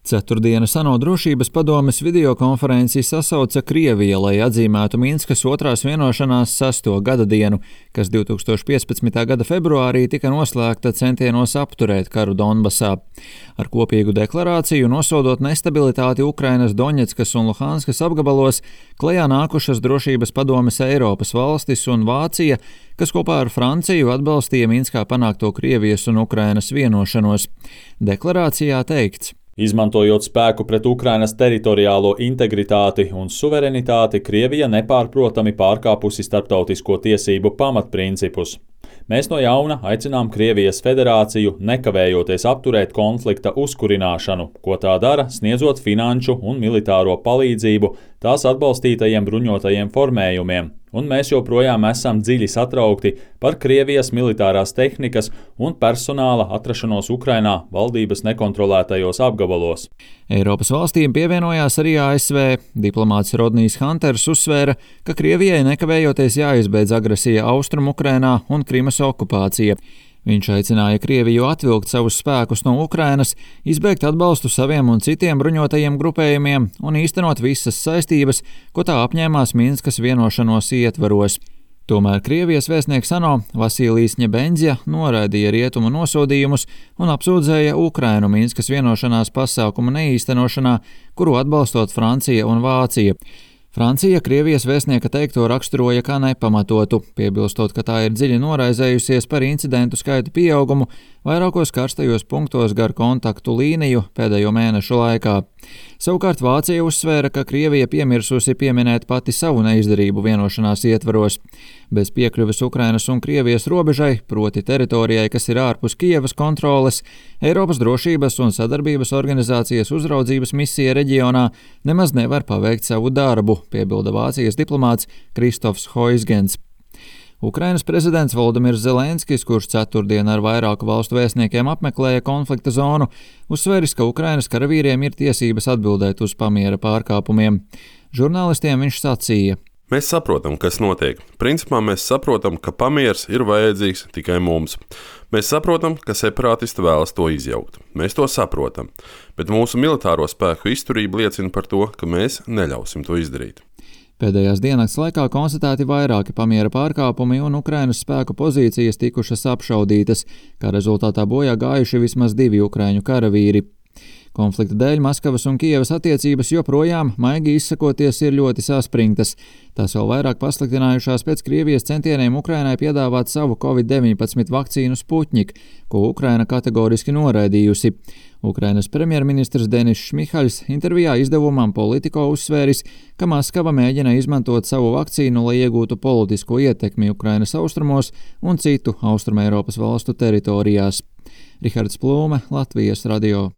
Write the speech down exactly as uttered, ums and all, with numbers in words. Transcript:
Ceturtdienas ANO drošības padomes videokonferenci sasauca Krievija, lai atzīmētu Minskas otrās vienošanās sesto gada dienu, kas divi tūkstoši piecpadsmitā gada februārī tika noslēgta centienos apturēt karu Donbasā. Ar kopīgu deklarāciju nosodot nestabilitāti Ukrainas Doņetskas un Luhanskas apgabalos, klajā nākušas drošības padomes Eiropas valstis un Vācija, kas kopā ar Franciju atbalstīja Minskā panākto Krievijas un Ukrainas vienošanos. Deklarācijā teikts: Izmantojot spēku pret Ukrainas teritoriālo integritāti un suverenitāti, Krievija nepārprotami pārkāpusi starptautisko tiesību pamatprincipus. Mēs no jauna aicinām Krievijas federāciju nekavējoties apturēt konflikta uzkurināšanu, ko tā dara, sniedzot finanšu un militāro palīdzību tās atbalstītajiem bruņotajiem formējumiem, un mēs joprojām esam dziļi satraukti par Krievijas militārās tehnikas un personāla atrašanos Ukrainā valdības nekontrolētajos apgabalos. Eiropas valstīm pievienojās arī A S V. Diplomāts Rodnijs Hanters uzsvēra, ka Krievijai nekavējoties jāizbeidz agresija Austrum Ukrainā un Krimas okupācija. Viņš aicināja Krieviju atvilkt savus spēkus no Ukrainas, izbeigt atbalstu saviem un citiem bruņotajiem grupējumiem un īstenot visas saistības, ko tā apņēmās Minskas vienošanos ietvaros. Tomēr Krievijas vēstnieks ANO Vasilijs Ņebenzja noraidīja rietumu nosodījumus un apsūdzēja Ukrainu Minskas vienošanās pasākumu neīstenošanā, kuru atbalstot Francija un Vācija. Francija Krievijas vēstnieka teikto raksturoja kā nepamatotu, piebilstot, ka tā ir dziļi noraizējusies par incidentu skaitu pieaugumu vairākos karstajos punktos gar kontaktu līniju pēdējo mēnešu laikā. Savukārt Vācija uzsvēra, ka Krievija piemirsusi pieminēt pati savu neizdarību vienošanās ietvaros. Bez piekļuves Ukrainas un Krievijas robežai, proti teritorijai, kas ir ārpus Kijevas kontroles, Eiropas drošības un sadarbības organizācijas uzraudzības misija reģionā nemaz nevar paveikt savu darbu, piebilda Vācijas diplomāts Kristofs Hoisgens. Ukrainas prezidents Volodimirs Zelenskis, kurš ceturtdien ar vairāku valstu vēstniekiem apmeklēja konflikta zonu, uzsvēris, ka Ukrainas karavīriem ir tiesības atbildēt uz pamiera pārkāpumiem. Žurnālistiem viņš sacīja: Mēs saprotam, kas notiek. Principā mēs saprotam, ka pamieris ir vajadzīgs tikai mums. Mēs saprotam, ka separātisti vēlas to izjaukt. Mēs to saprotam, bet mūsu militāro spēku izturība liecina par to, ka mēs neļausim to izdarīt. Pēdējās diennakts laikā konstatēti vairāki pamiera pārkāpumi un Ukrainas spēku pozīcijas tikušas apšaudītas, kā rezultātā bojā gājuši vismaz divi ukraiņu karavīri. Konflikta dēļ Maskavas un Kijevas attiecības joprojām, maigi izsakoties, ir ļoti saspringtas. Tās vēl vairāk pasliktinājušās pēc Krievijas centieniem Ukrainai piedāvāt savu covid deviņpadsmit vakcīnu Sputnik, ko Ukraina kategoriski noraidījusi. Ukrainas premjerministrs Denis Šmihaļs intervijā izdevumam Politico uzsvēris, ka Maskava mēģina izmantot savu vakcīnu, lai iegūtu politisko ietekmi Ukrainas austrumos un citu Austrumeiropas valstu teritorijās. Rihards Plūme, Latvijas radio.